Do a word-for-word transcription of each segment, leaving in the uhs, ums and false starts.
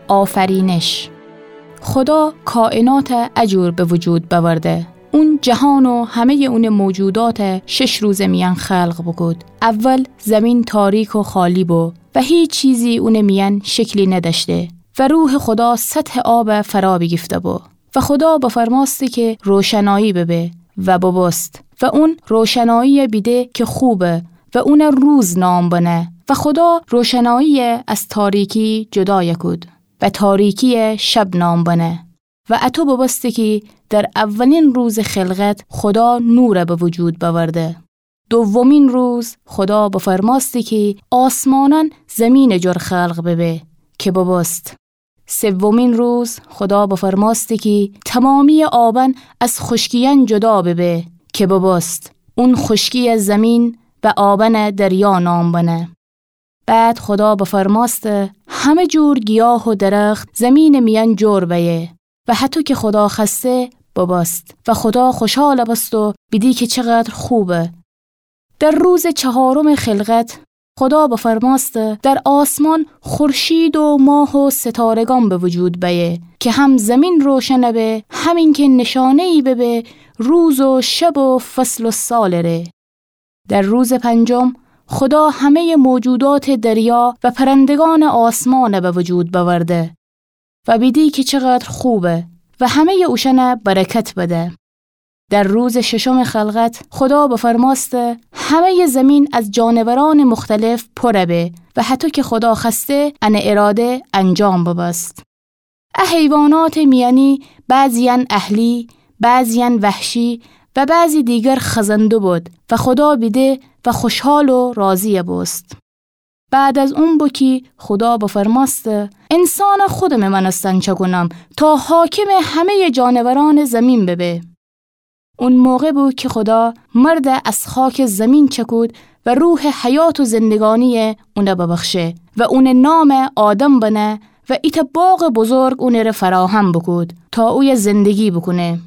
آفرینش. خودا کائناتَ ا جور به وجود بأورده. اون جهان و همه‌یٚ اونٚ موجوداتَ شش روزٚ میأن خلق بوکود. اول زمین تاریک و خالی بو و هیچ چیزی اونٚ میأن شکلی ندأشته و روحٚ خودا سطحٚ آبَ فرا بیگیفته بو. و خودا بفرمأسته کی روشنایی ببه و ببوست. و اون روشناییَ بیده کی خوبه و اونَ روز نام بنه. و خودا روشناییَ از تاریکی جدایَ کود و تاریکیَ شب نام بنه. و اطو ببوسته کی در اولین روزٚ خلقت خودا نورَ به وجود بأورده. دومین روز خودا بفرمأسته کی آسمانأن زیمینٚ جور خلق ببه، کی ببوست. سومین روز خودا بفرمأسته کی تمامییٚ آبأن از خوشکیأن جدا ببه، کی ببوست. اون خوشکیَ زیمین و آبأنَ دریا نام بنه. بعد خودا بفرمأسته همه جور گیاه و درخت زیمینٚ میأن جور بأیه و هطو کی خودا خوأسته ببوست. و خودا خوشحال بوست و بیده کی چقدر خوبه. در روزٚ چهارمٚ خلقت خودا بفرمأسته در آسمان خورشید و ماه و ستارگان به وجود بأیه کی هم زیمین روشن به، هم اینکه نشانه‌یی ببه روز و شب و فصل و سالٚ ره. در روزٚ پنجم خودا همه‌یٚ موجوداتٚ دریا و پرندگانٚ آسمانَ به وجود بأورده و بیده کی چقدر خوبه و همه‌یٚ اوشأنَ برکت بده. در روزٚ ششمٚ خلقت خودا بفرمأسته همه‌یٚ زیمین از جانورأنٚ مختلف پورَ به و هطو کی خودا خوأسته انٚ اراده انجام ببوست. ا حیواناتٚ میأنی بعضی‌یأن اهلی، بعضی‌یأن وحشی و بعضی دیگر خزنده بود و خودا بیده و خوشحال و راضی بوست. بعد از اون بو کی خودا بفرمأسته انسانَ خودمٚ مأنستن چأکونم تا حاکمٚ همه‌یٚ جانورأنٚ زیمین ببه. اون موقع بو کی خودا مردَ از خاکٚ زیمین چأکود و روحٚ حیات و زندگانیَ اونَ ببخشه و اونٚ نامَ آدم بنه و ایتأ باغٚ بزرگ اونٚ ره فراهم بوکود تا اویه زندگی بوکونه.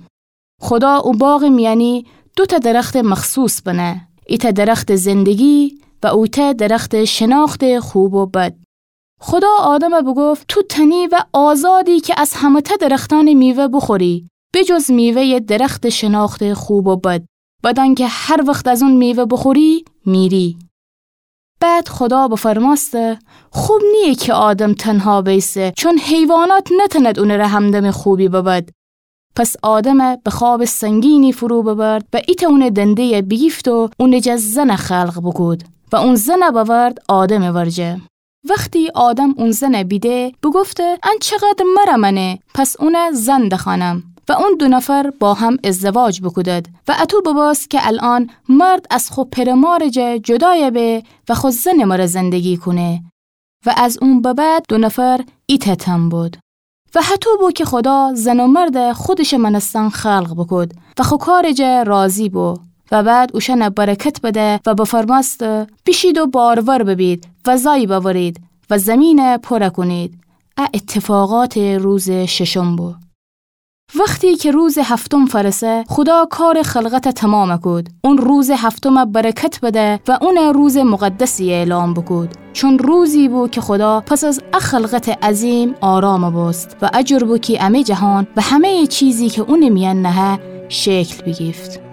خودا او باغٚ میأنی دوتأ درختٚ مخصوص بنه، ایتأ درختٚ زندگی و اویتأ درختٚ شناختٚ خوب و بد. خودا آدمَ بوگفت تو تنی و آزادی کی از همه‌تأ درختأنٚ میوه بوخوری، به جز میوه‌یٚ درختٚ شناختٚ خوب و بد، بدأنکه هر وخت از اون میوه بوخوری، میری. بعد خودا بفرمأسته خوب نییه کی آدم تنها بیسه، چون حیوانات نتأند اونٚ ره همدمٚ خوبی ببد. پس آدمَ به خوابٚ سنگینی فرو ببرد و ایتأ اونٚ دنده‌یَ بیگیفت و اونٚ جا زنَ خلق بوکود و اون زنَ بأورد آدمٚ ورجه. وختی آدم اون زنَ بیده، بوگفته ان چقدر مره مأنه، پس اونَ زن دخوأنم. و اون دو نفر با هم ازدواج بوکودد و اطو ببوست کی الأن مرد از خو پئر و مارٚ جا جدایَ به و خو زنٚ مره زندگی کونه. و از اون به بعد دو نفر ایتأ تن بود. و هطو بو کی خودا زن و مردَ خودشٚ مأنستن خلق بوکود و خو کارٚ جا راضی بو. و بعد اوشأنَ برکت بده و بفرمأسته بیشید و بارور ببید و زای بأورید و زیمینَ پورَ کونید. ا اتفاقاتٚ روزٚ ششم بو. وختی کی روزٚ هفتم فأرسه، خودا کارٚ خلقتَ تومامَ کود. اون روزٚ هفتمَ برکت بده و اونَ روزٚ مقدسی اعلام بوکود، چون روزی بو کی خودا پس از ا خلقتٚ عظیم آرامَ بوست و ا جور بو کی امه جهان و همه‌یٚ چیزی کی اونٚ میأن نهه شکل بیگیفت.